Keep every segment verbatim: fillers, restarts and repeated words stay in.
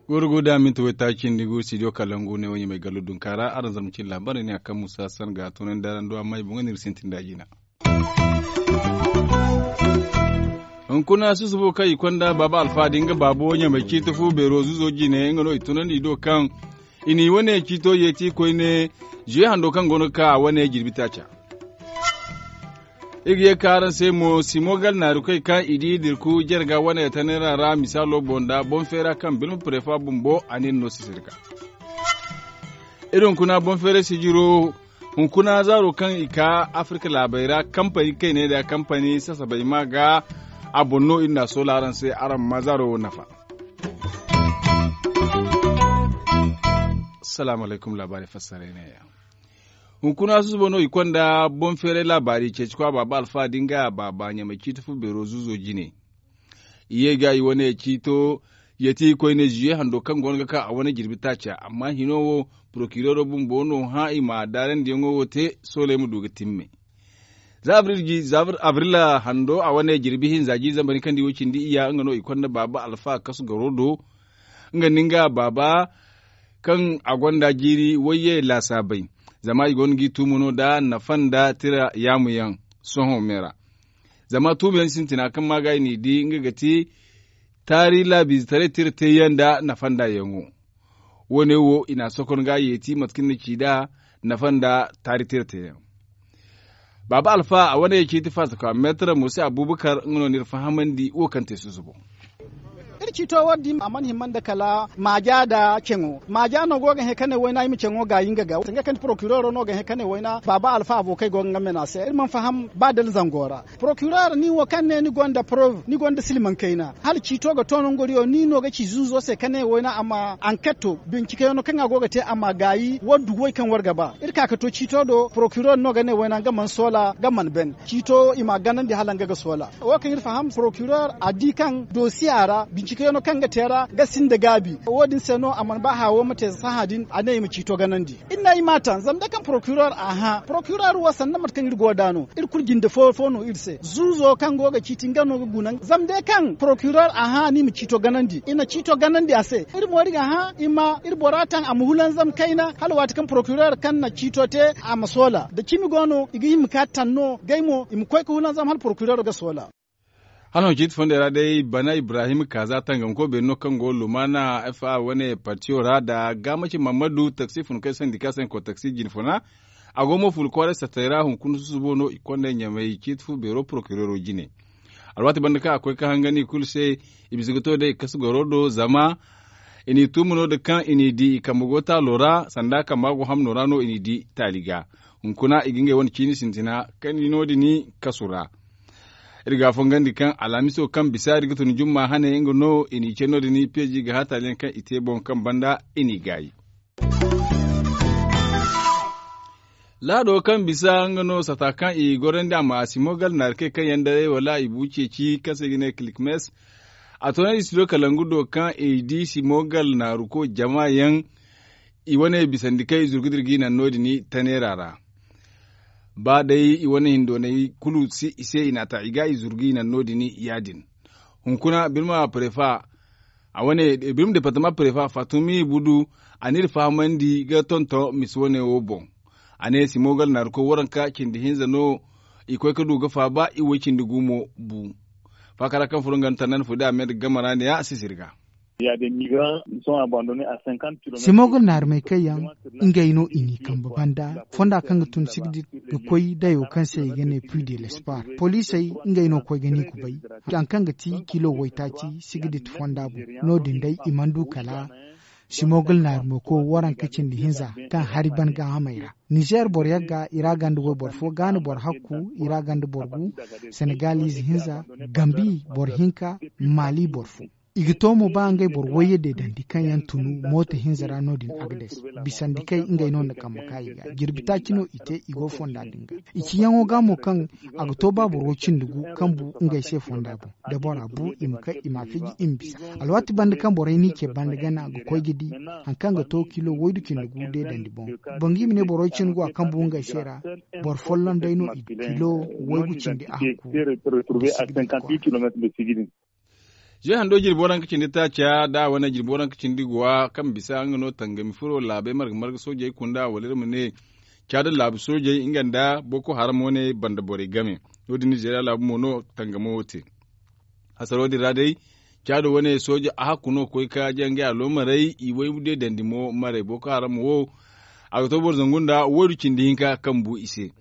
Goro go da minti waytaaci cindi gu studio kalangu ne wo ɲamay gallo dunka ra araŋ zarma cine laabaarey ne a kaŋ musa san ga a tunandi araŋ do amma i boŋ ga ne iri sintin da jina. Hunkuna susubo kaŋ i konda baaba alfa da nga baabo ɲamay ciiti fu beero zuzo jine nga no i tunandi i do kaŋ i n'i wane ciito yeeti koyne zuye hando kaŋ go no ga ka a wane jirbi taaca. Iri ga ye ka araŋ se mo simo gal naari koy kaŋ i di dirku jarga wane tanera ra misaalo boŋ da boŋ feera kaŋ birma prefa bumbo a ne no sisirka. Iri hunkuna boŋ feera sijiro hunkuna zaaro kaŋ i ka afirka laabey ra kampani kayney da kampani sasabey ma ga a boŋ no iri na a soola araŋ se araŋ ma zaaro wo nafa. Salaamu alaykum laabaari fassaray ne ya. Hunkuna susubo no i konda boŋ feeray laabaari ceeci kwa baaba alfa da nga baaba ɲamay ciiti fu beero zuzo jine. I ye ga i wane ciito yeeti koyne zuye hando kaŋ go no ga ka a wane jirbi taaca amma hino wo porokireero bumbo no hã i ma daarandiyaŋo wo te soolay ma du ga timme. Za abrila hando a wane jirbi hinza jiiri zambar hinka nda i wo cindi iyya nga no i konda baaba alfa kasu garo do. Nga nda nga baaba kaŋ a gonda jiiri wayye laasaabey zama i go no g'i tuumu no da nafa nda tira yaamu yaŋ sohõ me ra. Zama tuumu yaŋ sintina kaŋ ma ga i n'i di nga ga ti taari laabiize taray tira te yaŋ nda nafa nda yaŋo. Wo- ne wo i n'a sokon ga yeeti mate kaŋ ni na ci nd'a nafa nda taari tira te yaŋ. Baaba alfa a wane ciiti faasa kwa meetara musa abubakar nga no n'iri fahamandi wo kaŋ te susubo. Iri ciito wo- din a mana hima nda kala maaja nda ceŋo maaja no go ga hẽ ka ne wayna i ma ceŋo gaayi nga ga sanga kaŋ ti porokireero no ga hẽ ka ne wayna baaba alfa abo kaŋ ay go ga nga mena se iri mana faham ba dala zango ra. Porokireer ni wo kaŋ ne ni gonda preuve ni gonda silmaŋ kayna hala ciito ga to nangu goriyo ni no ga ci zuuzo se ka ne wayna a ma anketo bincikeyaŋo kaŋ a go ga te a ma gaayi war dugu way kaŋ war ga ba iri ka ga to ciito do porokireer no ga ne wayna nga mana soola nga mana ben ciito i m'a ganandi hala nga ga soola. Wo kaŋ iri faham porokireer a di kaŋ dosiya ra bincikeyaŋo kaŋ ga te ra ga sinda gaabi wo- din se no a mana ba haawo ma te sahã din a ne i ma ciito ganandi. Iri na i ma taŋ zama day kaŋ porokireer a hã porokireer wo sanda mate kaŋ iri go nd'a no iri kulu jinde fo fo no iri se zuuzo kaŋ go ga ciiti nga no ga guna zama day kaŋ porokireer a hã ni ma ciito ganandi i na ciito ganandi a se iri mo iri ga hã i ma iri bora taŋ a ma hulanzam kayna hala waati kaŋ porokireer kaŋ na ciito te a ma soola da cimi go no i ga hima ka taŋ no gay mo i ma koy ga hulanzam hala porokireer ga soola. Hala no ciiti fondey ra day bana ibrahim kaaza tangamko beeri no kaŋ go lumaana fa wane partiyo ra nda gaamaci mammadu taksi funkoy sandika se nga koy taksi jine funa. A go mo fulu kwaaray sattey ra hunkuna susubo no i konda ɲamay ciiti fu beero porokireero jine. Alwaati banda kaŋ a koy ka hangan i kulu se i bisa ga to day i kasu goro do zama i n'i tuumu no- din kaŋ i n'i di i kambe go taalo ra sanda kamba go hamno ra no i n'i di taali ga. Hunkuna i ga ngey wane ciini sintina kaŋ i no- din kasu ra. Iri ga a fongandi kaŋ alhamiso kaŋ bisa iri ga tun jumma hane nga no i n'i ce no- din peeji ga haataaliyaŋ kaŋ i te boŋ kaŋ banda i n'i gaayi. Laado kaŋ bisa nga no sata kaŋ i gorandi a ma simo gal naari kay kaŋ yaŋ daray wala i bu ceeci kaŋ se i ga ne kilikmes. A toonandi studio kalangu do kaŋ i di simo gal naaru ko jama yaŋ i wane bisandi kay zurgu da iri g'i naŋ no- din taneera ra. Ba day i wane hindoonay kulu si i se i n'a ta i ga i zuru ga i naŋ no- din ya- din. Hunkuna birma prefa a wane birma departama prefa fatumi budu a n'iri fahamandi ga tonton misi wane wo boŋ. A ne simo gal naari koy waranka cindi hinza no i koy ga du ga faaba i wo cindi gumo bu. Faakara kaŋ furo nga nda tannandi fo day a me nda gamara ne ya a sisiri ga. Simogol naarumey kaŋ yaŋ ngey no i n'i kambe banda fonda kaŋ ga tun sigdit ga koy dayo kaŋ se i ga ne puy de l'espoir poliisey ngey no koy ga ni kubay. Haŋ kaŋ ga ti kilo waytaaci sigdit fonda boŋ no- din day i mana du kala simogol naarumey koy waranka cindi hinza kaŋ hari ban gaahamey ra. Nizer boro yagga i ra ganda wayboro fo gaana boro hakku i ra ganda boro gu senegal ize hinza gambi boro hinka maali boro fo. I ga to mo ba ngey boro wayye deedandi kaŋ yaŋ tunu mooto hinza ra no- din agades, bisandi kay ngey no na kambe ka i ga jirbi taaci no i te i go fonda din ga. I ciyaŋo ga mo kaŋ a ga to ba boro cindi gu kaŋ bu ngey se fonda boŋ. Da bora bu i ma kay i ma a fiji i ma bisa. Alwaati banda kaŋ borey n'i ce banda gana ga koy ga di hari kaŋ ga to kilo waydu cindi gu deedandi boŋ. Boŋ ga i ma ne boro cindi gu a kaŋ bu ngey se ra, boro folloŋ day no i du kilo waygu cindi a hakku. Ze hando jirbi waranka cindi taaca da a wane jirbi waranka cindi guwa kaŋ bisa nga no tangami furo laabey marga marga soojey kunda wala iri ma ne caada laabu soojey nga nda boko haram wane banda borey game. No- din nizeeriya laabu mo no tangamo wo te. Hasaro din ra day caado wane sooja a hakku no ga koy ka jangay aloomarey i way deedandi mo marey boko haram wo. A ga to boro zangu nda waydu cindi hinka kaŋ bu i se.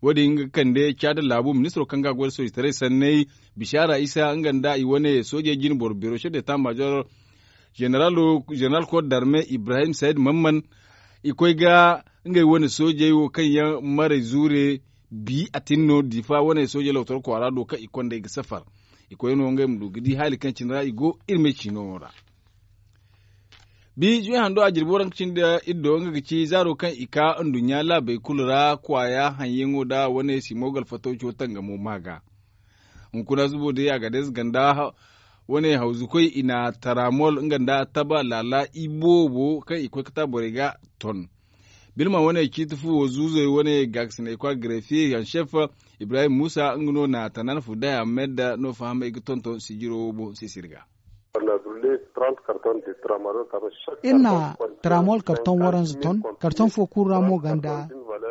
Wo- din nga ga kande caada laabu ministiro kaŋ ga a goy nda soojitaray sanney, bishara isa nga nda i wane soojey jine boro biro chef d'état major, general koor darme ibrahim said mamman. I koy ga ngey wane soojey wo kaŋ yaŋ marey zuure bi a tin no difa wane soojey lawtor kwaara do kaŋ i konda i ga safar. I koy no ngey ma du ga di haali kaŋ cine ra i go iri me ciino ra. Bi zuwe hando a jirbi waranka cindi iri do nga ga ci zaaro kaŋ i ka nduɲɲa laabey kulu ra kwaaya haŋyaŋo nda wane simo galfatawco tangamo ma ga. Hunkuna zubo day a ga day ganda wane hawzukoy i na taramol nga nda taba laala i boobo kaŋ i koy ga ta borey ga ton. Bilma wane ciiti fuwo zuuzey wane gaakasinay kwa grefiye yaŋ chef ibrahim musa nga no na tanan fuday ahmed no fahamay ga tonton sijiro wo boŋ sisiri ga. Iri na taramol karton waranza ton karton fo kulu ra mo ganda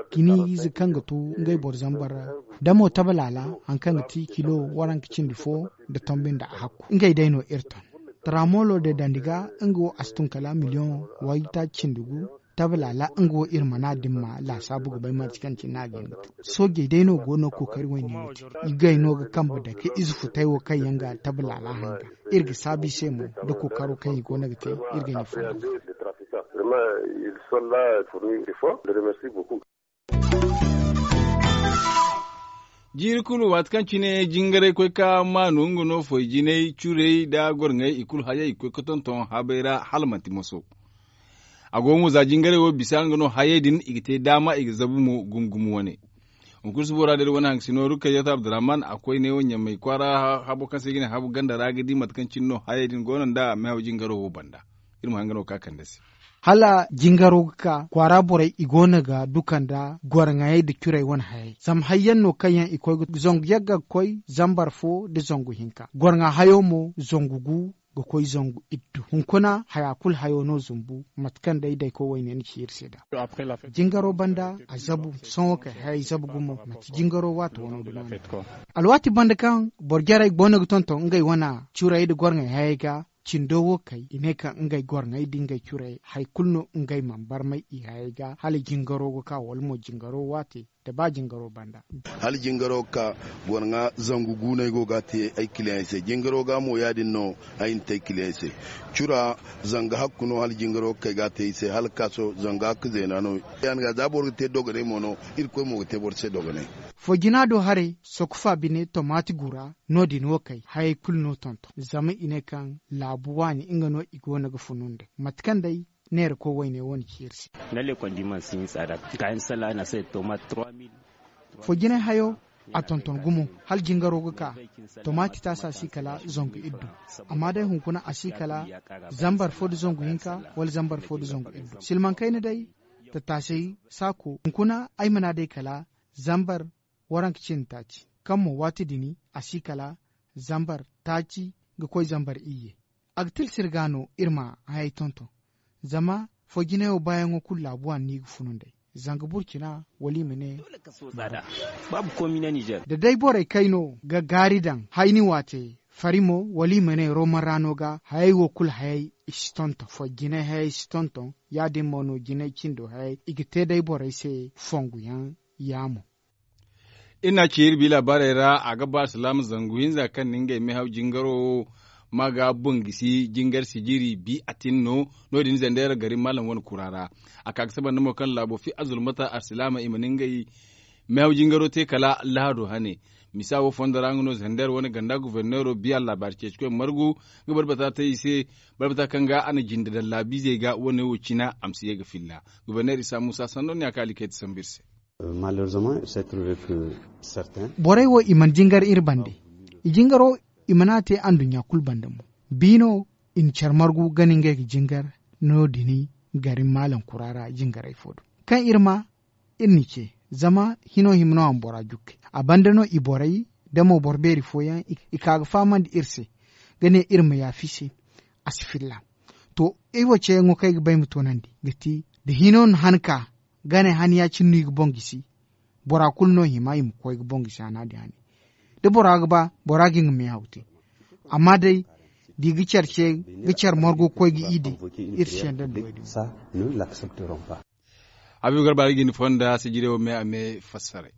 kini ize kaŋ ga tu ngey boro zambar ra. Da mo taba laala hari kaŋ ga ti kilo waranka cindi fo nda tombi nda a hakku ngey day no iri ton. Taramolo de dandi ga nga wo a si tun kala miliyoŋ waytaaci cindi gu. Taba laala nga wo iri mana din ma laasaabu ga bay manti kaŋ cine a ga hin ga tu. Soojey day no go no kookari wayne wo te. I gay no ga kambe dake ize futay wo kaŋ yaŋ ga taba laala hanga. Iri ga saabu i se mo nda kookaro kaŋ i go no ga te. Iri ga ne fonda. Jiiri kulu waati kaŋ cine jingaray koy ka maanu nga no foy jinay curey nda gorŋey i kulu hayey i koy ga tonton habey ra hala manti moso. A go mo za jingaray wo bisa nga no hayey din i ga te daama i ga zabu mo gumo gumo wane. Hunkuna subo ra da iri wane hangasino rukayyata abdurrahman a koy ne wo ɲamay kwaara habo kaŋ se i ga ne habu ganda ra ga di mate kaŋ cine no hayey din go no nda mehaw jingaro wo banda. Iri ma hanga no ga ka kande se. Hala jingaro ga ka kwaara borey i go no ga duka nda gorŋayey nda curey wane hayey zama hayyaŋ no kaŋ yaŋ i koy ga zangu yagga ga koy zambar fo nda zangu hinka gorŋa hayo mo zangu gu ga koy zangu iddu hunkuna haya kulu hayo no zumbu mate kaŋ day dayko wayne ni ci iri se nd'a. Jingaro banda a zabu sohõ kay hayey zabu gumo manti jingaro waati wano dumi wane. Alwaati banda kaŋ boro jarey go no ga tonton ngey wane curey nda gorŋey hayey ga cindo wo kay i ne kaŋ ngey gorŋey nda ngey curey hari kulu no ngey mana barmay i hayey ga hala jingaro ga ka wala mo jingaro waate nda ba jingaro banda. Hala jingaro ga ka gorŋa zangu gu no ay go ga a te ay kiliyaŋey se jingaro ga mo ya- din no ay na te ay kiliyaŋey se. Cura zanga hakku no hala jingaro ga kay ga a te ay se hala ga ka sohõ zanga hakka zeena no. Ya- din ga za boro ga te dogonay mo no irkoy mo ga te boro se dogonay. Fo jina do haray sokufa bine tomaati gura no- din wo kay hayey kulu no tonton zama i ne kaŋ laabu waani nga no i go no ga funu nd'ey mate kaŋ day neerako wayne wane ci iri se. Fo jinay hayo a tonton gumo hala jingaro ga ka. Tomaati taasa si kala zangu iddu amma day hunkuna a si kala zambar fo nda zangu hinka wala zambar fo nda zangu iddu silmaŋ kayna day. Tattaasay saako hunkuna ay mana day kala zambar waranka cindi taaci kaŋ mo waati din a si kala zambar taaci ga koy zambar iyye. A ga tilsir ga no iri ma hayey tonton zama fo jinay wo baayaŋo kulu laabu waani no i ga funu nd'ey zanga burcina wala i ma ne. Da day borey kayno ga gaari daŋ hayni waate fari mo wala i ma ne roman ra no ga hayey wo kulu hayey i si tonton fo jinay hayey si tonton ya- din mo no jinay cindo hayey i ga te day borey se fongu yaŋ. Yaamo. Iri n'a ci iri bi laabaarey ra a ga ba alsilaama zangu hinza kaŋ na ngey mehaw jingaro wo ma ga bungisi jingar sijiri bi a tin no. No- din zandera gari maalam wane kura ra a ka ga saba nda mo kaŋ laabo fi azulmata alsilaama i ma na ngey mehaw jingaro te kala lahado hane. Misa wo fondo ra nga no zander wane ganda guberneero biya laabaari ceecikoy margu ga barbata te i se. Barbata kaŋ ga a na jinde daŋ laabiizey ga wane wo cina a ma si ye ga filla. Guberneer isa muusa sanno ne a kaali kay ti sambu iri se. Borey wo i mana jingar iri bande. I jingaro i mana a te anduɲɲa kulu bande mo. Biino i na care margu gana ngey ga jingar no- din gari maalaŋ kura ra jingarey fo do. Kaŋ iri ma iri n'i ce zama hino hima no a ma bora jukke. A banda no i borey da mo boro beeri fooyaŋ i ka ga fahamandi iri se ga ne iri ma yaafa i se. A si filla. To, iri wo ceeyaŋo kaŋ ay ga ba ay ma toonandi ga ti da hino na han ka gane han ya-cine no i ga boŋ gisi. Bora kulu no hima i ma koy ga boŋ gisi hana din hane. Da bora ga ba bora ga nga meehaw te. Amma day da i ga care ce ga care margo ga koy ga i din. Iri si yanda nda wo- din. Habiibu garba ga jinde fonda sijire wo me a me fassaray.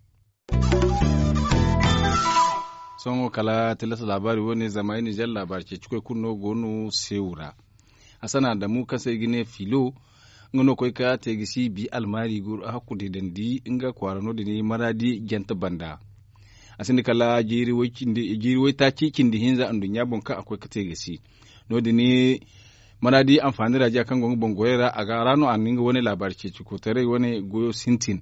Sohõ kala tilas laabaari wo- ne zama ay nizer laabaari ceecikoy kulu no go no seewu ra. Hassan adamu kaŋ se i ga ne filo nga no koy ka te ga si bi almaari ga hakku deedandi nga kwaara no- din maraadi jante banda. A sinda kala jiiri waytaaci cindi hinza anduɲɲa boŋ kaŋ a koy ka te ga si. No- din maraadi anfaani raajiya kaŋ go nga boŋ goyey ra a ga ra no a na nga wane laabaari ceeci kootaray wane goyo sintin.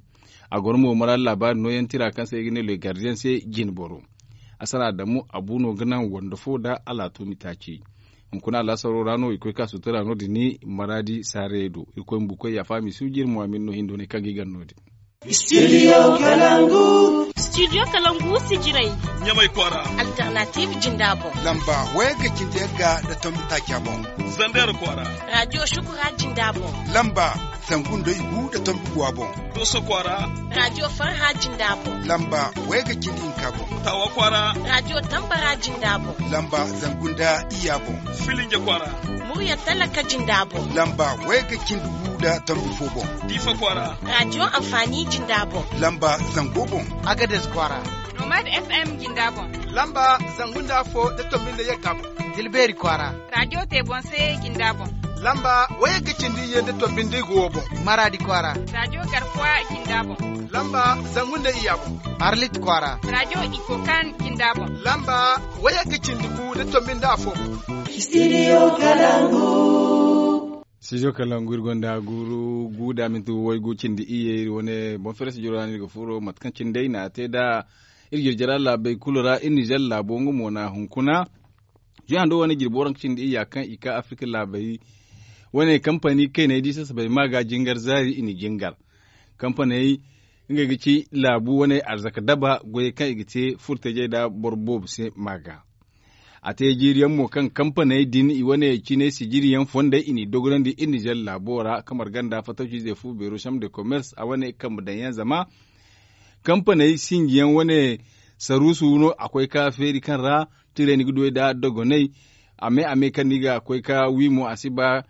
A goro mo maraadi laabaari nooyaŋ tira kaŋ se i ga ne le gardiyaŋ se jinboro. Asara adamu abu no ga naŋ wando fo nda alaatumi taaci. Hunkuna alaasaro ra no i koy ka sutura no- din maraadi saarayey do. Irkoy ma bukoy yaafa misuuji iri mo a ma iri no hindoonay kaŋ ga i gar no- din. Studio kalangu. Studio kalangu sijirey. Ɲamay kwaara. Alternative jinda boŋ. Lamba waya ga cindi yagga nda tombi taaca boŋ. Zander kwaara. Radio shukura jinda boŋ. Lamba zangu nda igu nda tombi guwa boŋ. Doso kwaara. Radio farha jinda boŋ. Lamba waya ga cindi hinka boŋ. Tawa kwaara. Radio tambara jinda boŋ. Lamba zangu nda iya boŋ. Filinja kwaara. Murya talaka jinda boŋ. Lamba waya ga cindi gu nda tombi fo boŋ. Diifa kwaara. Radio amfani jinda boŋ. Lamba zango boŋ. Agades kwaara. Nomad FM jinda boŋ. Lamba zangu nda afo nda tombi nda yagga boŋ. Dilbeeri kwaara. Radio te boŋ se jinda boŋ. Lamba waya ga cindi iyye nda tombi nda igu wo boŋ. Maraadi kwaara. Radio garkuwa jinda boŋ. Lamba zangu nda iya boŋ. Arlit kwaara. Radio ikokan jinda boŋ. Lamba waya ga cindi gu nda tombi nda afo boŋ. Studio kalangu. Studio kalangu iri gonda guuru gu da minti waygu cindi iyye iri wane boŋ fere studio ra no iri ga furo mate kaŋ cindi ay na a te nda iri jirjira laabey kulu ra iri nizer laabo nga mo na hunkuna. Jihando wane jirbi waranka cindi iyya kaŋ i ka afirka laabey wane kampani kayney di sasabey ma ga jingar zaari i na jingar. Kampaney ngey ga ci laabu wane arzaka daba goyey kaŋ i ga te furtajey nda boro boobo se ma ga. A te jiiri yaŋ mo kaŋ kampaney din i wane cine sijiri yaŋ fondey i n'i dogonandi iri nizer laabo ra kamar ganda fatawci ize fu beero chambre de commerce a wane kambe daŋ yaŋ zama kampaney sinji yaŋ wane saruusu no a koy ka feeri kaŋ ra tirey ni ga duwey nda dogoney. A me a me kaŋ ni ga koy ka wi mo a si ba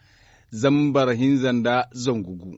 zambar hinza nda zangu gu.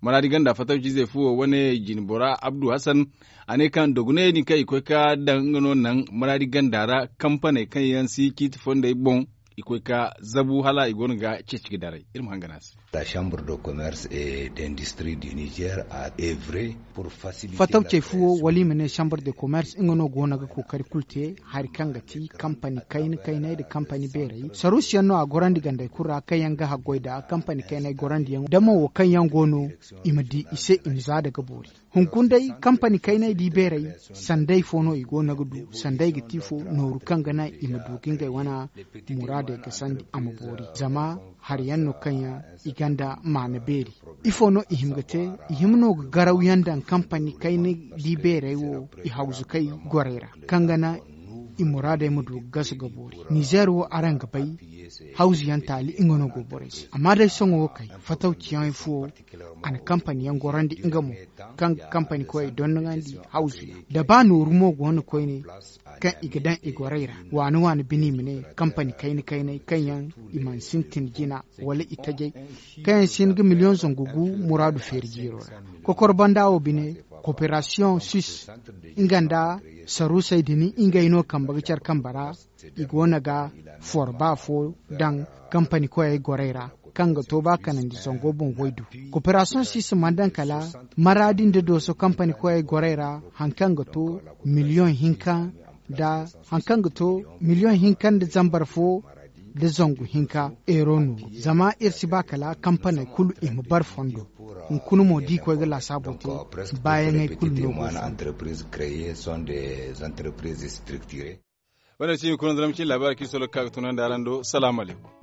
Maraadi ganda fatawci ize fuwo wane jinbora abdu hasan a ne kaŋ dogoney din kaŋ i koy ka daŋ nga no naŋ maraadi ganda ra kampaney kaŋ yaŋ si ciiti fondey boŋ i koy ka zabu hala i go no ga ceeci ga daray iri ma hangan a se. La chambre de commerce et d'industrie du niger a evre pour faciliter fatawcey fuwo wala i ma ne chambre de commerce nga no go no ga kookari kulu te hari kaŋ ga ti kampani kayna kaynay nda kampani beerey saruusiyaŋ no a gorandi gandey kulu ra kaŋ yaŋ ga haggoy nda kampani kaynay gorandiyaŋ da mo wo kaŋ yaŋ go no i ma di i se i ma za daga boori. Hunkuna day kampani kaynay da i beerey sanday fo no i go no ga du sanday ga ti fo nooru kaŋ ga naŋ i ma du ga ngey wana muraadey ga sandi a ma boori zama hari yaŋ no kaŋ yaŋ i gonda maana beeri. Ifo no i hima ga te? I hima no ga garaw yaŋ daŋ kampani kaynay da i beerey wo i hawzu kay gorey ra kaŋ ga naŋ i muraadey ma du ga gasu ga boori. Nizer wo araŋ ga bay hawzu yaŋ taali nga no go borey se amma day sohõ wo kay fatawci yaŋ fo a na kampani yaŋ gorandi nga mo kaŋ ga kampani koyey dondonandi hawzu yaŋ da ba nooru mo go no koyne kaŋ i ga daŋ i gorey ra waani waani bine i ma ne kampani kayna kaynay kaŋ yaŋ i mana sintin jina wala i tajay kaŋ yaŋ si hin ga miliyoŋ zangu gu muraadu feeri jiiro ra. Kokor banda wo bine koperasiyoŋ sis nga nda saruusey din ngey no kambe ga care kambe ra i go no ga forba fo daŋ kampani koyey gorey ra. Kaŋ ga to ba kanandi zango boŋ waydu. Koperasiyoŋ si si mana daŋ kala maraadi nda dooso kampani koyey gorey ra, hari kaŋ ga to miliyoŋ hinka nda hari kaŋ ga to miliyoŋ hinka nda zambar fo nda zangu hinka euro no. Zama iri si ba kala kampaney kulu i ma bare fondo. Hunkuna mo da i koy ga laasaabo te, baayaŋey kulu no go fondo. Wane si hunkuna nda ramcin laabaari kaŋ i solo ga ka ga tunandi araŋ do salaamu alaykum.